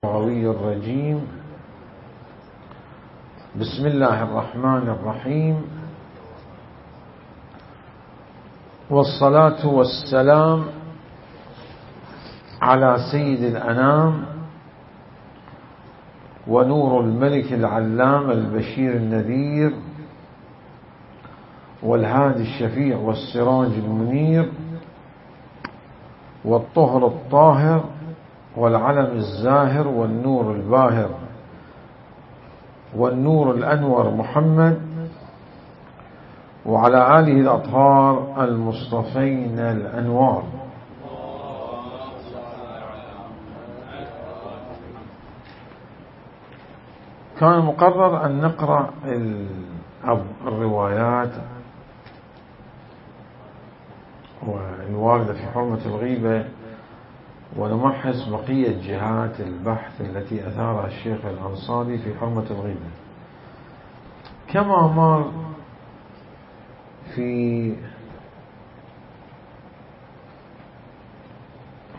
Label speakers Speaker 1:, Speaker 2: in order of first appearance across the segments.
Speaker 1: الرجيم. بسم الله الرحمن الرحيم، والصلاة والسلام على سيد الأنام ونور الملك العلام البشير النذير والهادي الشفيع والسراج المنير والطهر الطاهر والعلم الزاهر والنور الباهر والنور الأنور محمد وعلى آله الأطهار المصطفين الأنوار. كان مقرر أن نقرأ الروايات والواردة في حرمة الغيبة ونمحص بقية جهات البحث التي أثارها الشيخ الأنصاري في حرمة الغيبة، كما مر في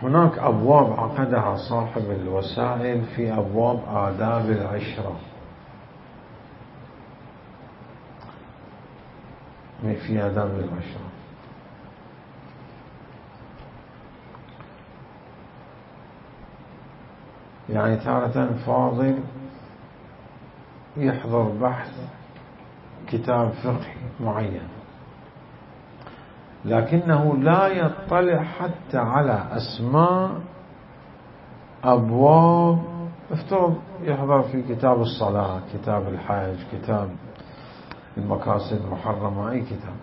Speaker 1: هناك أبواب عقدها صاحب الوسائل في أبواب آداب العشرة، في آداب العشرة. يعني تارة فاضل يحضر بحث كتاب فقهي معين لكنه لا يطلع حتى على أسماء أبواب. افترض يحضر في كتاب الصلاة، كتاب الحج، كتاب المقاصد المحرمة، أي كتاب،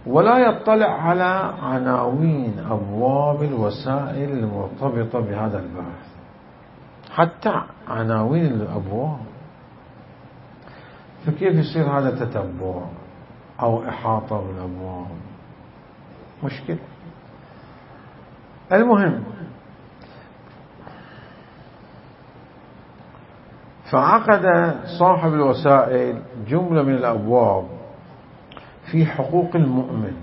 Speaker 1: ولا يطلع على عناوين أبواب الوسائل المرتبطة بهذا البحث، حتى عناوين الأبواب. فكيف يصير هذا تتبع أو إحاطة بالأبواب؟ مشكلة. المهم، فعقد صاحب الوسائل جملة من الأبواب في حقوق المؤمن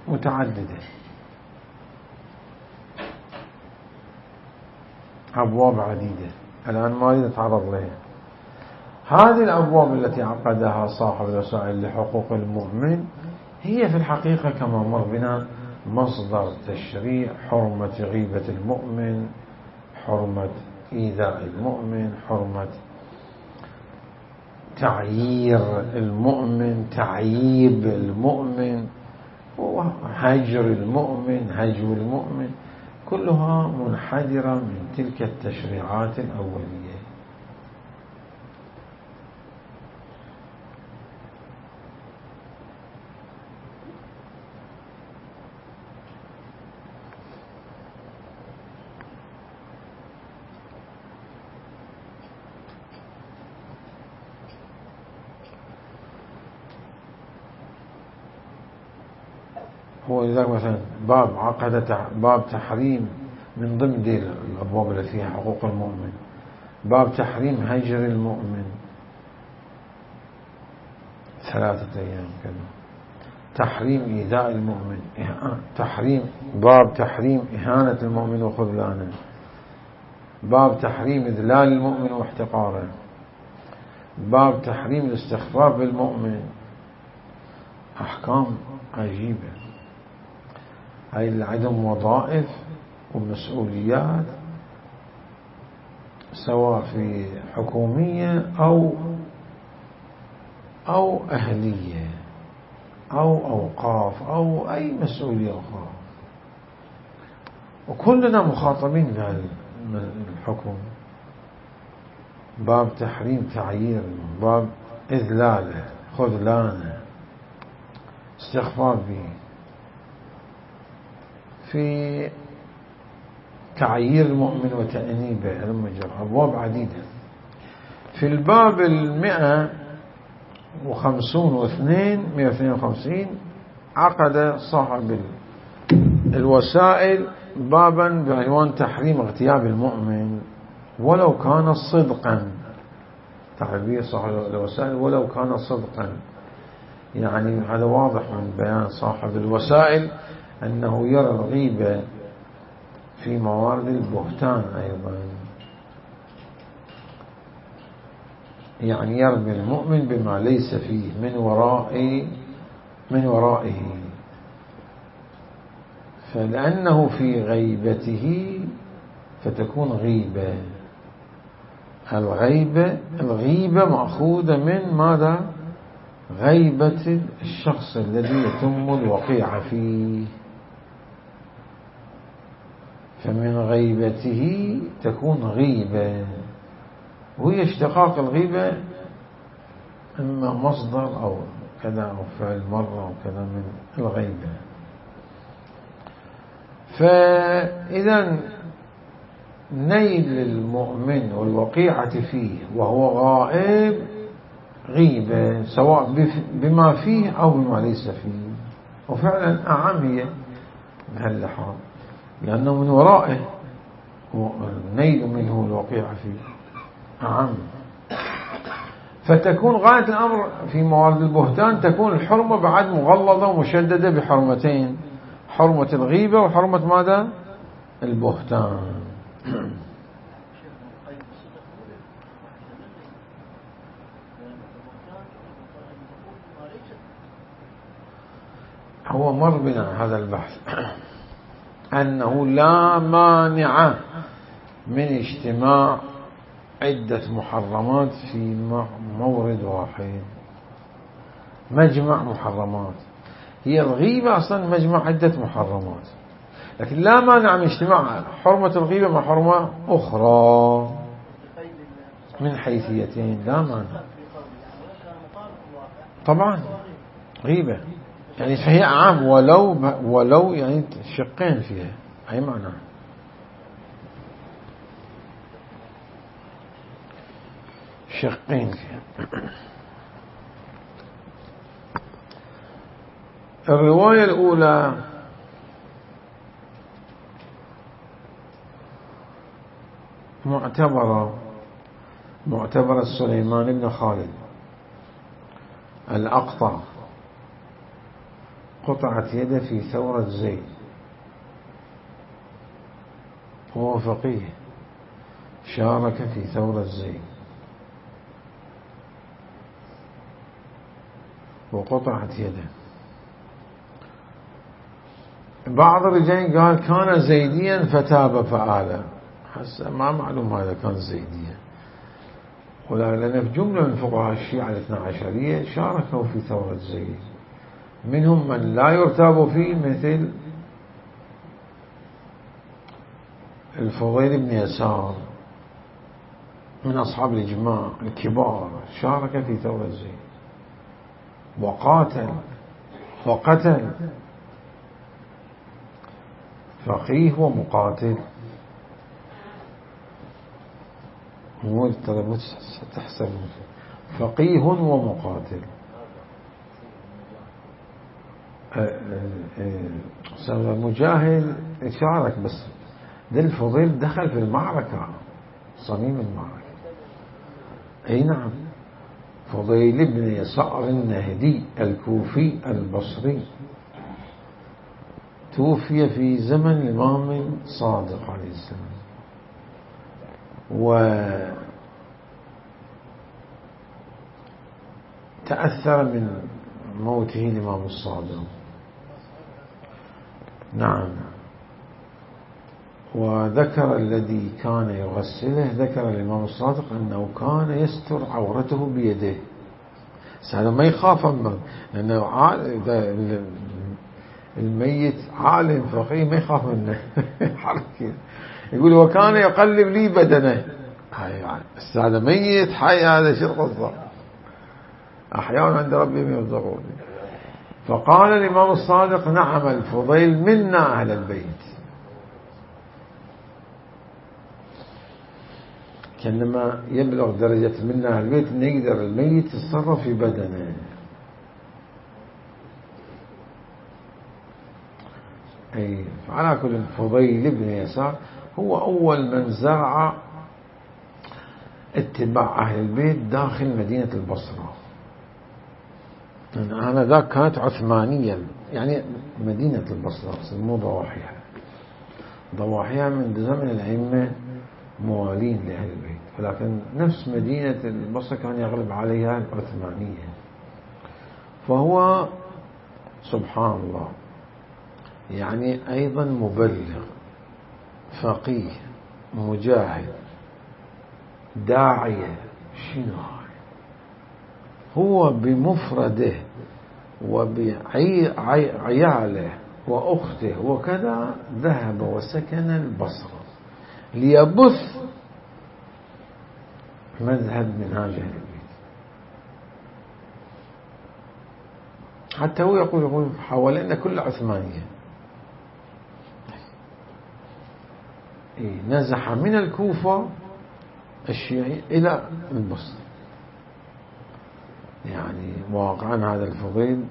Speaker 1: متعددة، أبواب عديدة الآن ما أريد أتعرض لها. هذه الأبواب التي عقدها صاحب الوسائل لحقوق المؤمن هي في الحقيقة كما مر بنا مصدر تشريع حرمة غيبة المؤمن، حرمة إيذاء المؤمن، حرمة تعيير المؤمن، تعييب المؤمن، هجر المؤمن، هجو المؤمن، كلها منحدرة من تلك التشريعات الأولية. هو لذلك مثلا باب عقد باب تحريم من ضمن دي الأبواب التي فيها حقوق المؤمن، باب تحريم هجر المؤمن 3 أيام كذا، تحريم إيذاء المؤمن، باب تحريم إهانة المؤمن وخذلانه، باب تحريم إذلال المؤمن واحتقاره، باب تحريم الاستخفاف بالمؤمن. أحكام عجيبة، هاي عندهم وظائف ومسؤوليات سواء في حكومية أو أهلية أو أوقاف أو أي مسؤولية أخرى، وكلنا مخاطبين بهذا الحكم. باب تحريم تعيير، باب إذلاله، خذلانه، استخفاف به، في تعيير المؤمن وتأنيبه، أبواب عديدة. في الباب 152 عقد صاحب الوسائل بابا بعنوان تحريم اغتياب المؤمن ولو كان صدقا. تعبير صاحب الوسائل ولو كان صدقا، يعني هذا واضح من بيان صاحب الوسائل أنه يرى الغيبة في موارد البهتان أيضا، يعني يرمي المؤمن بما ليس فيه من ورائه، فلأنه في غيبته فتكون غيبة. الغيبة مأخوذة من ماذا؟ غيبة الشخص الذي يتم الوقيعة فيه، فمن غيبته تكون غيبة، وهي اشتقاق الغيبة إما مصدر أو كذا أو فعل مرة أو كذا من الغيبة. فإذا نيل المؤمن والوقيعة فيه وهو غائب غيبة، سواء بما فيه أو بما ليس فيه، وفعلا أعم هي بهاللحاظ، لأنه من ورائه نيل منه الوقيعة فيه أعم. فتكون غاية الأمر في موارد البهتان تكون الحرمة بعد مغلظة ومشددة بحرمتين، حرمة الغيبة وحرمة ماذا؟ البهتان. هو مر بنا هذا البحث أنه لا مانع من اجتماع عدة محرمات في مورد واحد، مجمع محرمات. هي الغيبة أصلا مجمع عدة محرمات، لكن لا مانع من اجتماع حرمة الغيبة مع حرمة أخرى من حيثيتين، لا مانع طبعا. غيبة يعني فهي أعم ولو يعني شقين فيها، أي معنى شقين فيها. الرواية الأولى معتبرة سليمان بن خالد الأقطع، قطعت يده في ثورة زيد، هو فقيه شارك في ثورة زيد وقطعت يده. بعض الرجال قال كان زيديا فتاب فآل، حسنا ما معلوم هذا كان زيديا، ولأن في جملة من فقهاء الشيعة الاثنى عشرية شاركوا في ثورة زيد، منهم من لا يرتاب فيه مثل الفضيل بن يسار من أصحاب الإجماع الكبار، شارك في ثورة زيد وقتل فقيه ومقاتل، مو تحسب فقيه ومقاتل. مجاهد شارك، بس ده الفضيل دخل في المعركة، صميم المعركة. أي نعم، فضيل بن يسار النهدي الكوفي البصري، توفي في زمن الإمام صادق عليه السلام، وتأثر من موته الإمام الصادق. نعم. وذكر الذي كان يغسله، ذكر الإمام الصادق أنه كان يستر عورته بيده، هذا ما يخاف منه، لأنه الميت عالم فقيه ما يخاف منه. يقول وكان يقلب لي بدنه، هذا ميت حي، هذا شو القصة؟ أحياء عند ربهم يرزقون. فقال الإمام الصادق نعم الفضيل منا أهل البيت، كأنما يبلغ درجة منا أهل البيت أن يقدر الميت يتصرف في بدنه. أي على كل، الفضيل بن يسار هو أول من زرع اتباع أهل البيت داخل مدينة البصرة. أنا ذاك كانت عثمانية، يعني مدينة البصرة مو ضواحيها من زمن الأئمة موالين لأهل البيت، ولكن نفس مدينة البصرة كان يغلب عليها العثمانية. فهو سبحان الله يعني أيضا مبلغ، فقيه، مجاهد، داعية، شنو هو بمفرده وبعياله وأخته وكذا ذهب وسكن البصرة ليبث مذهب منهاج أهل البيت. حتى هو يقول حوالينا كل عثمانية، نزح من الكوفة الشيعي إلى البصرة. يعني واقعا هذا الفضيل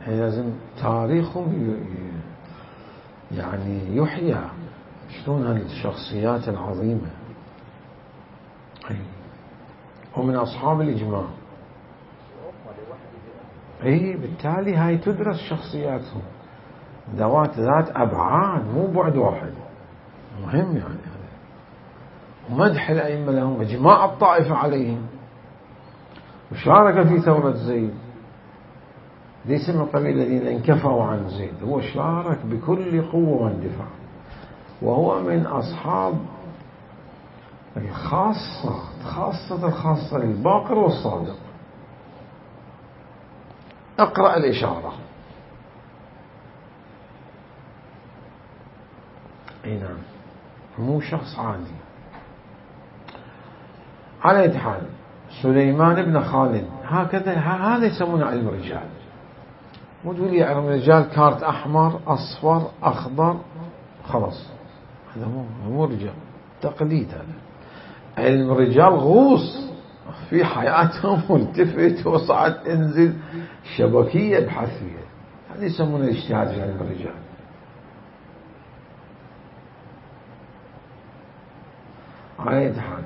Speaker 1: لازم تاريخهم يعني يحيى، شلون هالشخصيات العظيمة. ومن أصحاب الإجماع. بالتالي هاي تدرس شخصياتهم ذات أبعاد، مو بعد واحد، مهم يعني هذا. ومدح الأئمة لهم، إجماع الطائفة عليهم، وشارك في ثورة زيد، ليس من قبيل الذين انكفوا عن زيد، هو شارك بكل قوة واندفاع، وهو من أصحاب الخاصة للباقر والصادق. اقرأ الإشارة. نعم، مو شخص عادي. على أي حال سليمان بن خالد هكذا، هذا يسمونه علم الرجال. وتقول لي علم الرجال كارت أحمر أصفر أخضر، خلاص هذا مو رجال، تقليد. هذا علم الرجال غوص في حياتهم، والتفت وصعد انزل، شبكية بحثية. هذا يسمونه الاجتهاد في علم الرجال. على أي حال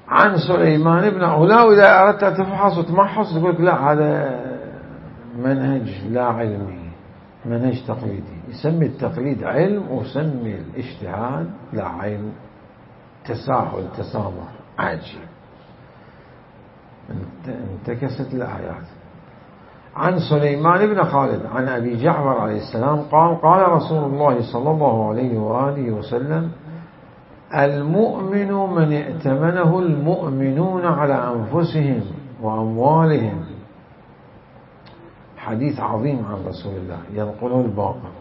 Speaker 1: عن سليمان بن علاء، إذا أردت أن تفحص وتمحص تقول لك لا، هذا منهج لا علمي، منهج تقليدي. يسمي التقليد علم، ويسمي الاجتهاد لا علم، تساهل، تسامح، عجيب. انتكست الآيات. عن سليمان بن خالد عن أبي جعفر عليه السلام قال: قال رسول الله صلى الله عليه وآله وسلم: المؤمن من ائتمنه المؤمنون على أنفسهم وأموالهم. حديث عظيم عن رسول الله ينقله الباقر.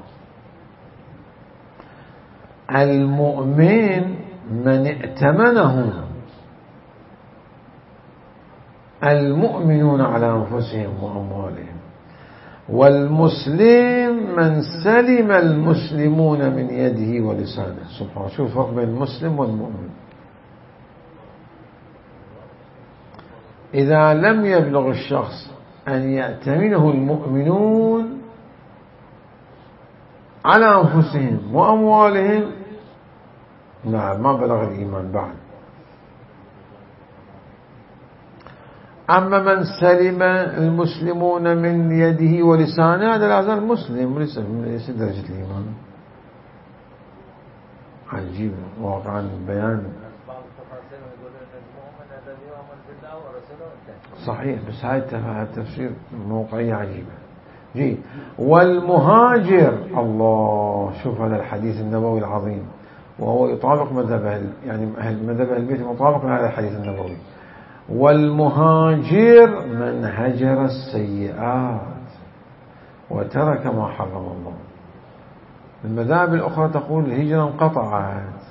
Speaker 1: المؤمن من ائتمنه المؤمنون على أنفسهم وأموالهم، والمسلم من سلم المسلمون من يده ولسانه. سبحان، شوف الفرق بين المسلم والمؤمن. إذا لم يبلغ الشخص أن يأتمنه المؤمنون على أنفسهم وأموالهم، نعم، ما بلغ الإيمان بعد. أما من سلم المسلمون من يده ولسانه، هذا لا زال مسلم وليس درجة الإيمان. عجيب واقعا بيان. صحيح، بس هاي التفسير موقعية عجيبة. جي والمهاجر، الله، شوف هذا الحديث النبوي العظيم، وهو يطابق مذهب يعني مذهب أهل البيت مطابق لهذا الحديث النبوي. والمهاجر من هجر السيئات وترك ما حرم الله. المذاهب الأخرى تقول الهجرة انقطعت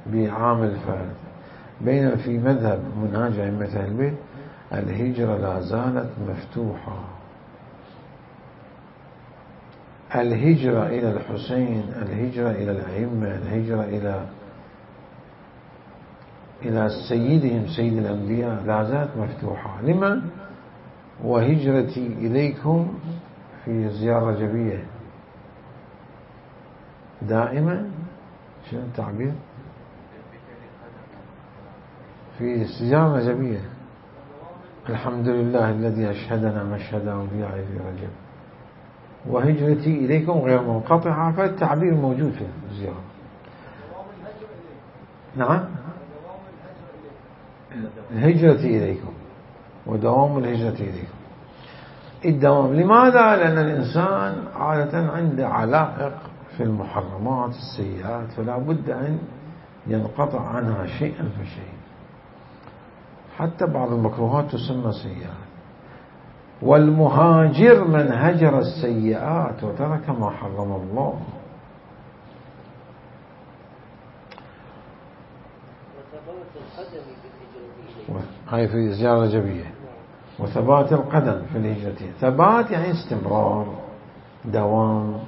Speaker 1: بعام الفات، بينما في مذهب منهاج أئمة أهل البيت الهجرة لا زالت مفتوحة. الهجرة إلى الحسين، الهجرة إلى الأئمة، الهجرة إلى سيدهم سيد الأنبياء لا زالت مفتوحة. لمن؟ وهجرتي إليكم في زيارة رجبية دائما. شنو التعبير؟ في زيارة رجبية. الحمد لله الذي أشهدنا مشهد أولياء في رجب، وهجرتي إليكم غير منقطعة، فالتعبير موجود في الزيارة. نعم، الهجرة إليكم ودوام الهجرة إليكم. الدوام لماذا؟ لأن الإنسان عادة عنده علائق في المحرمات السيئات، فلا بد أن ينقطع عنها شيئا فشيئا. حتى بعض المكروهات تسمى سيئات. والمهاجر من هجر السيئات وترك ما حرم الله. هاي في الزيارة الرجبية. وثبات القدم في الهجرة. ثبات يعني استمرار، دوام،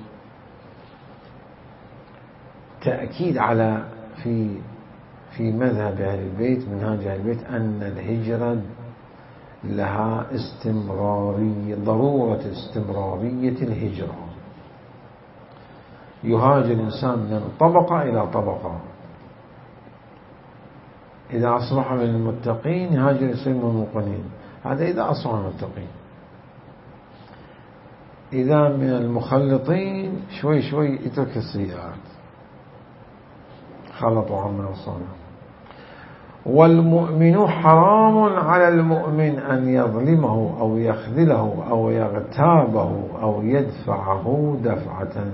Speaker 1: تأكيد على في مذهب أهل البيت، منهاج أهل البيت، أن الهجرة لها استمرارية، ضرورة استمرارية الهجرة. يهاجر الإنسان من طبقة إلى طبقة. إذا أصبح من المتقين يهاجر يصير من الموقنين، هذا إذا أصبح من المتقين. إذا من المخلطين شوي شوي يترك السيئات، خلطوا عما وصانا. والمؤمن حرام على المؤمن أن يظلمه أو يخذله أو يغتابه أو يدفعه دفعة.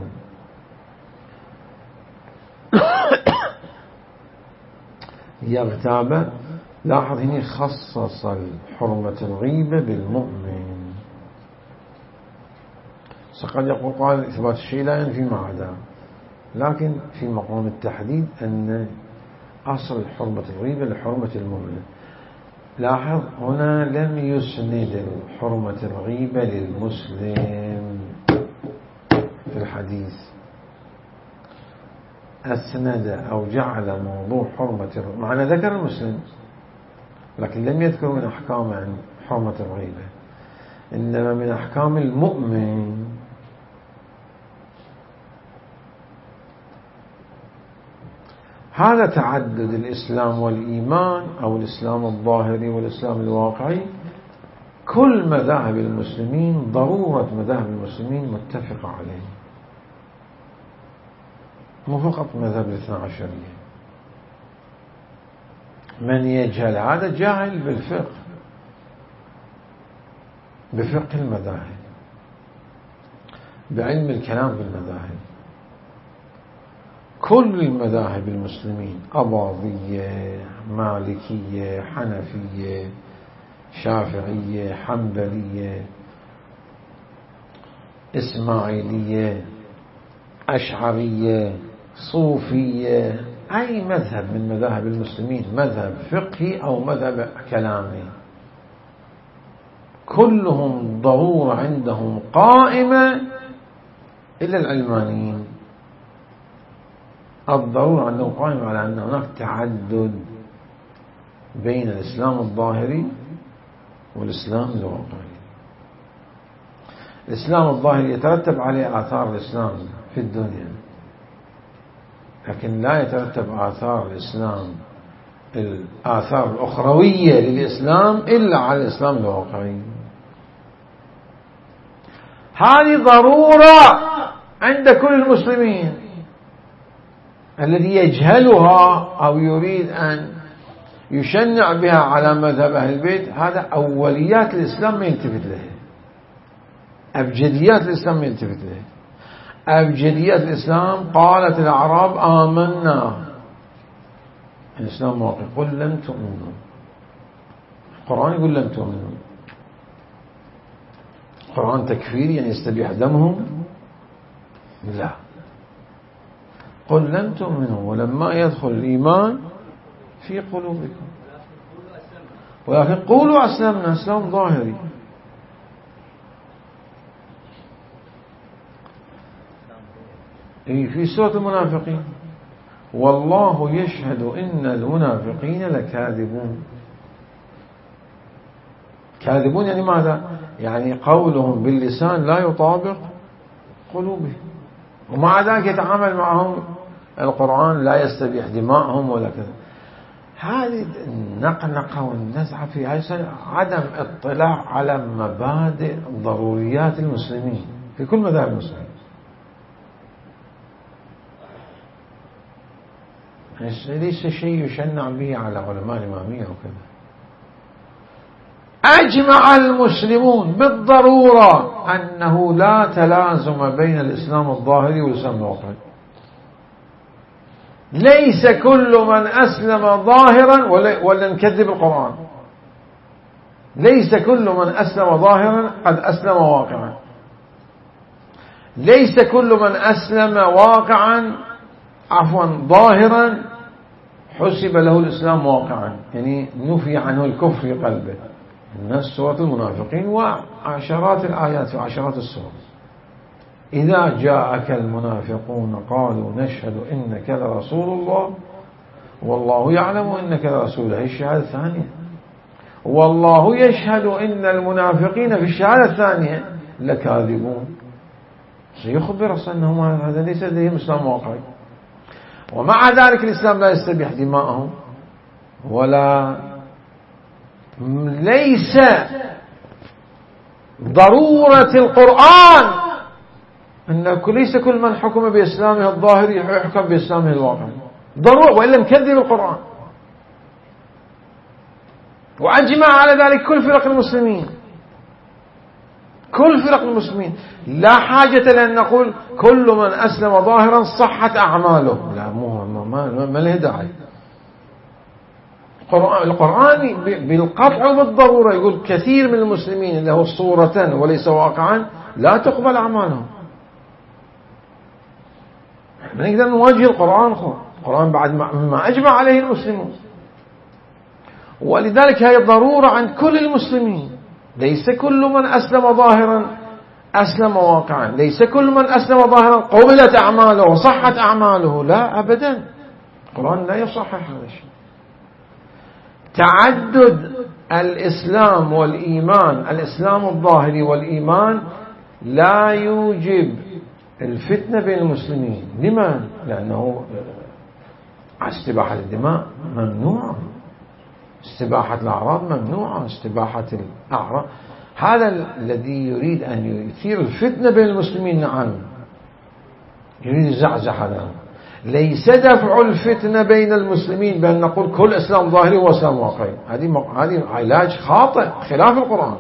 Speaker 1: يغتاب، لاحظ هنا خصص حرمة الغيبة بالمؤمن. قد يقول قال إثبات الشيء لا ينفي ما عداه، لكن في مقام التحديد أن أصل حرمة الغيبة لحرمة المؤمن. لاحظ هنا لم يسند حرمة الغيبة للمسلم في الحديث، أسند أو جعل موضوع حرمة، معنى ذكر المسلم لكن لم يذكر من أحكام عن حرمة الغيبة، إنما من أحكام المؤمن. هذا تعدد الإسلام والإيمان، أو الإسلام الظاهري والإسلام الواقعي. كل مذاهب المسلمين، ضرورة مذاهب المسلمين متفقة عليه، مو فقط مذهب الاثنى عشرية. من يجهل هذا جاهل بالفقه، بفقه المذاهب، بعلم الكلام في المذاهب. كل المذاهب المسلمين، أباضية، مالكية، حنفية، شافعية، حنبلية، إسماعيلية، أشعرية، صوفية، أي مذهب من مذاهب المسلمين، مذهب فقهي أو مذهب كلامي، كلهم ضرورة عندهم قائمة إلا العلمانيين. الضرورة عندهم قائمة على أن هناك تعدد بين الإسلام الظاهري والإسلام الواقعي. الإسلام الظاهري يترتب عليه آثار الإسلام في الدنيا، لكن لا يترتب آثار الإسلام، الآثار الأخروية للإسلام إلا على الإسلام الواقعي. هذه ضرورة عند كل المسلمين. الذي يجهلها أو يريد أن يشنع بها على مذهب أهل البيت، هذا أوليات الإسلام ما يلتفت لها، أبجديات الإسلام ما يلتفت لها. أبجديات الإسلام قالت الأعراب آمنا، الإسلام واقع، قل لم تؤمنوا. القرآن يقول لم تؤمنوا. القرآن تكفيري يعني يستبيح دمهم؟ لا، قل لم تؤمنوا ولما يدخل الإيمان في قلوبكم ولكن قولوا أسلمنا، إسلام ظاهري. في سورة المنافقين والله يشهد إن المنافقين لكاذبون. كاذبون يعني ماذا؟ يعني قولهم باللسان لا يطابق قلوبهم، ومع ذلك يتعامل معهم القرآن لا يستبيح دماءهم ولا كذا. هذه النقنقة والنزعة في عدم اطلاع على مبادئ ضروريات المسلمين في كل مذاهب المسلمين. ليس شيء يشنع به على علماء الإمامية وكذا. أجمع المسلمون بالضرورة أنه لا تلازم بين الإسلام الظاهري والإسلام الواقعي. ليس كل من أسلم ظاهرا ولا نكذب القرآن، ليس كل من أسلم ظاهرا قد أسلم واقعا، ليس كل من أسلم واقعا ظاهرا حسب له الإسلام واقعا، يعني نفي عنه الكفر في قلبه. الناس سورة المنافقين وعشرات الآيات وعشرات السور. إذا جاءك المنافقون قالوا نشهد إنك لرسول الله والله يعلم إنك لرسوله، هي الشهادة الثانية. والله يشهد إن المنافقين في الشهادة الثانية لكاذبون، سيخبر أنهم هذا ليس لديهم إسلام واقعي. ومع ذلك الإسلام لا يستبيح دماءهم، ولا ليس ضرورة القرآن أن ليس كل من حكم بإسلامه الظاهري يحكم بإسلامه الواقعي ضرورة، وإلا نكذب القرآن. وأجمع على ذلك كل فرق المسلمين، كل فرق المسلمين. لا حاجة لأن نقول كل من أسلم ظاهرا صحت أعماله، لا ما له داعي. القرآن بالقطع وبالضرورة يقول كثير من المسلمين له صورة وليس واقعا لا تقبل أعمالهم. نقدر نواجه القرآن بعد ما أجمع عليه المسلمون. ولذلك هي ضرورة عن كل المسلمين. ليس كل من أسلم ظاهرا أسلم واقعا، ليس كل من أسلم ظاهرا قبلت أعماله وصحت أعماله، لا أبدا. القرآن لا يصحح هذا الشيء. تعدد الإسلام والإيمان، الإسلام الظاهري والإيمان لا يوجب الفتنة بين المسلمين. لماذا؟ لأنه استباحة الدماء ممنوعة، استباحة الأعراض ممنوعة، استباحة الأعراض. هذا الذي يريد أن يثير الفتنة بين المسلمين، نعم يريد يزعزع هذا. ليس دفع الفتنة بين المسلمين بأن نقول كل إسلام ظاهري وإسلام واقعي، هذه علاج خاطئ خلاف القرآن.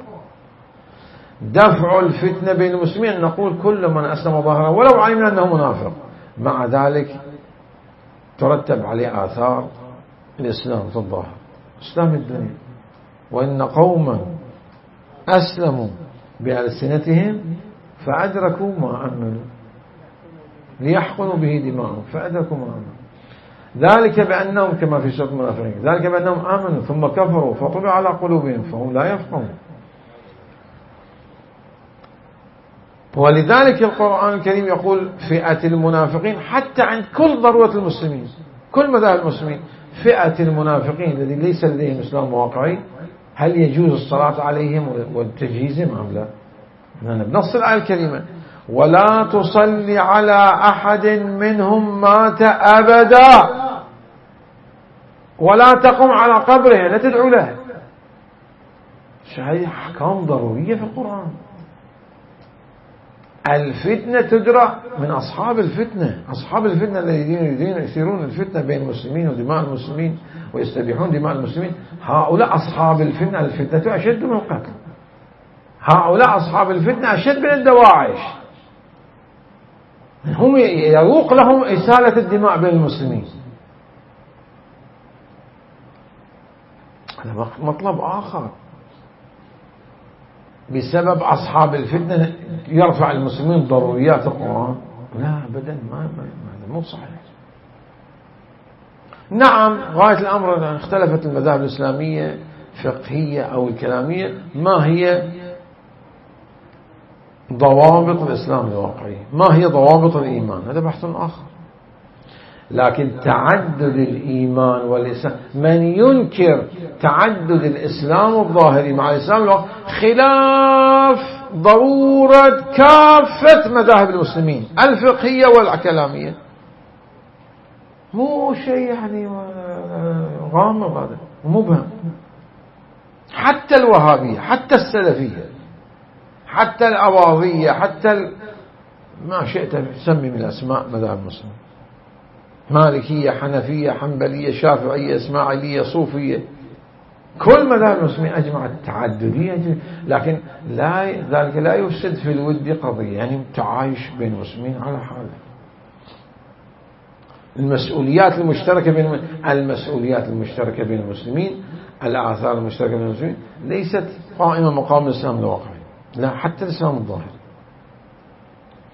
Speaker 1: دفع الفتنة بين المسلمين أن نقول كل من أسلم ظاهرا ولو علمنا أنه منافق، مع ذلك ترتب عليه آثار الإسلام في الظاهر، إسلام الدنيا. وإن قوما أسلموا بألسنتهم فأدركوا ما أملوا ليحقنوا به دماءهم فأدركوا ما أملوا، ذلك بأنهم كما في سورة المنافقين، ذلك بأنهم آمنوا ثم كفروا فطبع على قلوبهم فهم لا يفقهون. ولذلك القرآن الكريم يقول فئة المنافقين، حتى عند كل ضرورة المسلمين كل مذاهب المسلمين، فئة المنافقين الذي ليس لديهم إسلام واقعي هل يجوز الصلاة عليهم والتجهيزهم أم لا؟ بنص الآية الكريمة ولا تصلي على أحد منهم مات أبدا ولا تقم على قبره لا تدعو له. هذه أحكام ضرورية في القرآن. الفتنة تدرى من أصحاب الفتنة، أصحاب الفتنة الذين يريدون يثيرون الفتنة بين المسلمين ودماء المسلمين ويستبيحون دماء المسلمين. هؤلاء أصحاب الفتنة، الفتنة أشد من القتل. هؤلاء أصحاب الفتنة أشد من الدواعش، هم يروق لهم إسالة الدماء بين المسلمين. هذا مطلب آخر. بسبب أصحاب الفتنة يرفع المسلمين ضروريات القرآن؟ لا أبدا، ما مو صحيح. نعم غاية الأمر اختلفت المذاهب الإسلامية فقهية أو الكلامية ما هي ضوابط الإسلام الواقعي، ما هي ضوابط الإيمان، هذا بحث آخر. لكن تعدد الإيمان والإسلام، من ينكر تعدد الإسلام الظاهري مع الإسلام الواقعي خلاف ضرورة كافة مذاهب المسلمين الفقهية والكلامية. مو شيء يعني غامض، هذا مبهم. حتى الوهابية، حتى السلفية، حتى الأواضية، حتى ما شئت تسمي من الأسماء مذاهب المسلمين مالكية، حنفية، حنبلية، شافعية، إسماعيلية، صوفية، كل مذاهب المسلمين أجمعت التعددية، لكن ذلك لا يفسد في الود قضية، يعني تعايش بين المسلمين على حاله. المسؤوليات المشتركة بين المسلمين، الآثار المشتركة بين المسلمين ليست قائمة مقام الإسلام الواقعي، لا، حتى الإسلام الظاهر.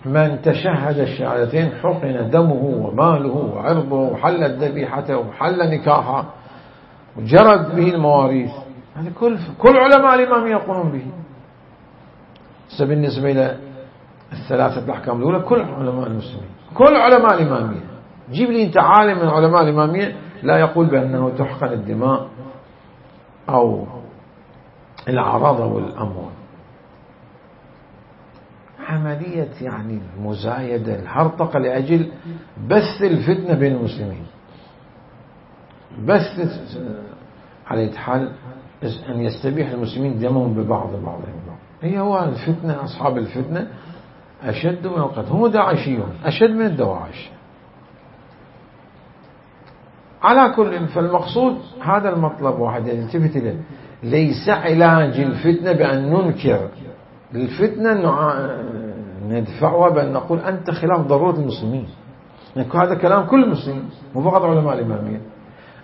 Speaker 1: من تشهد الشهادتين حقن دمه وماله وعرضه وحلت ذبيحته وحل نكاحه وجرت به المواريث. هذا كل علماء الإمامية يقولون به. بالنسبة إلى الثلاثة الأحكام الأولى كل علماء المسلمين، كل علماء الإمامية، جيب لي أنت عالم من علماء الإمامية لا يقول بأنه تحقن الدماء أو الأعراض والأموال. عملية يعني المزايدة، الهرطقة لأجل بث الفتنة بين المسلمين، بث على حال أن يستبيح المسلمين دمهم بعضهم. هي هو الفتنة، أصحاب الفتنة أشد من القتل، هم داعشيون أشد من الدواعش. على كل، فالمقصود هذا المطلب واحد يلتفت إليه، ليس علاج الفتنة بأن ننكر الفتنة ندفعها بأن نقول أنت خلاف ضرورة المسلمين. يعني هذا كلام كل مسلم، مو فقط علماء الإمامية.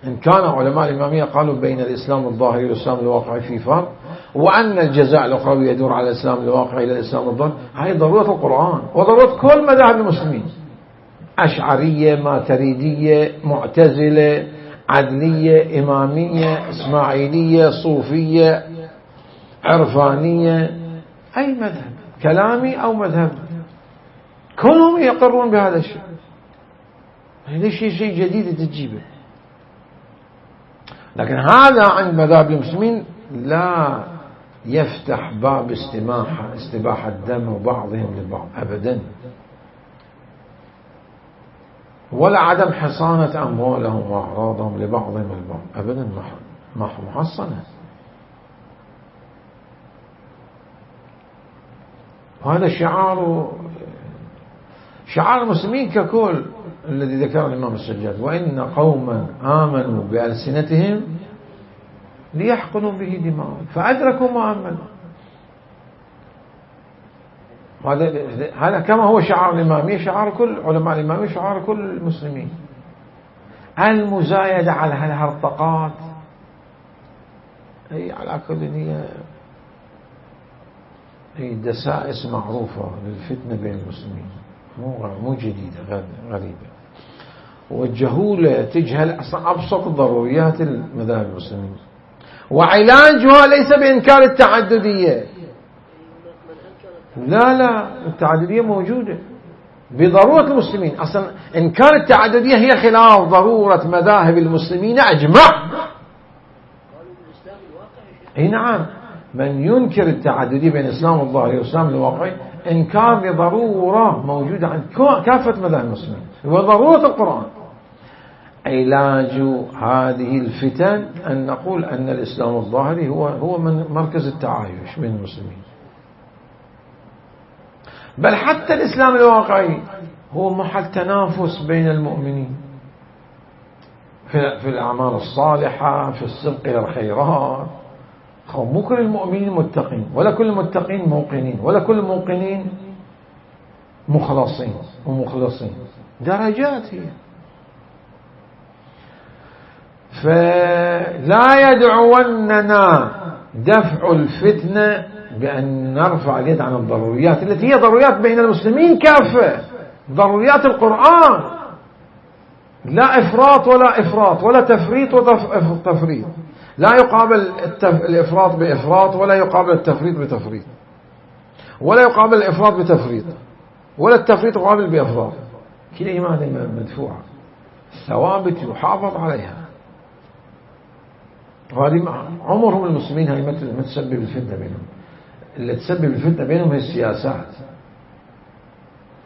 Speaker 1: إن كان علماء الإمامية قالوا بين الإسلام الظاهري والإسلام الواقعي في فرق، وأن الجزاء الأخروي يدور على الإسلام الواقعي إلى الإسلام الظاهري، هذه ضرورة القرآن وضرورة كل مذاهب المسلمين، أشعرية، ماتريدية، معتزلة، عدلية، إمامية، إسماعيلية، صوفية، عرفانية، أي مذهب كلامي أو مذهب، كلهم يقرون بهذا الشيء. ليش شيء جديد تجيبه؟ لكن هذا عند مذاهب المسلمين لا يفتح باب استباحة دم بعضهم لبعض أبدا، ولا عدم حصانة أموالهم وأعراضهم لبعضهم البعض أبدا، محصنة. وهذا شعار المسلمين ككل الذي ذكره الإمام السجاد، وإن قوما آمنوا بألسنتهم ليحقنوا به دماءهم فأدركوا ما آمنوا. هذا كما هو شعار الإمامية، شعار كل علماء الإمامية، شعار كل المسلمين. المزايدة على هالهرطقات هي على كل هي دسائس معروفة للفتنة بين المسلمين، مو جديدة، غريبة. والجهولة تجهل أبسط ضروريات المذاهب المسلمين، وعلاجها ليس بإنكار التعددية، لا، التعددية موجودة بضرورة المسلمين. أصلا إنكار التعددية هي خلاف ضرورة مذاهب المسلمين أجمع. أي نعم، من ينكر التعددية بين الإسلام الظاهري والإسلام الواقعي إنكار لضرورة موجودة عند كافة مذاهب المسلمين، وضرورة القرآن. علاج هذه الفتن أن نقول أن الإسلام الظاهري هو من مركز التعايش بين المسلمين، بل حتى الإسلام الواقعي هو محل تنافس بين المؤمنين في الأعمال الصالحة، في السبق إلى الخيرات. مو كل المؤمنين متقين، ولا كل المتقين موقنين، ولا كل الموقنين مخلصين ومخلصين، درجات هي. فلا يدعوننا دفع الفتنة بأن نرفع اليد عن الضروريات التي هي ضروريات بين المسلمين كافة، ضروريات القرآن، لا إفراط ولا تفريط وتفريط. لا يقابل الإفراط بإفراط، ولا يقابل التفريط بتفريط، ولا يقابل الإفراط بتفريط، ولا التفريط يقابل بإفراط. كلمة مدفوعة، ثوابت يحافظ عليها. وهذه عمرهم المسلمين هي ما تسبب الفتنة بينهم. اللي تسبب الفتنة بينهم هي السياسات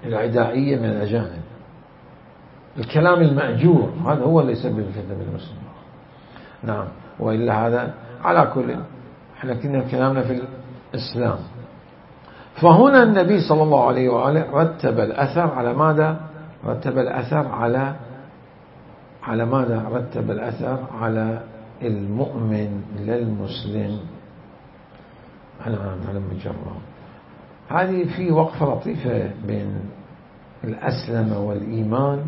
Speaker 1: العدائية من الأجانب، الكلام المأجور، هذا هو اللي يسبب الفتنة بين المسلمين. نعم، وإلا هذا على كل. احنا كنا كلامنا في الإسلام. فهنا النبي صلى الله عليه وآله رتب الأثر على ماذا؟ رتب الأثر على على ماذا رتب الأثر على المؤمن للمسلم على مجرد. هذه في وقفة لطيفة بين الأسلم والإيمان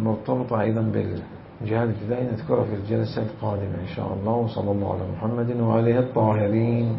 Speaker 1: مرتبطة أيضا بالجهاد الابتدائي، نذكرها في الجلسة القادمة إن شاء الله. وصلى الله على محمد وآله الطاهرين.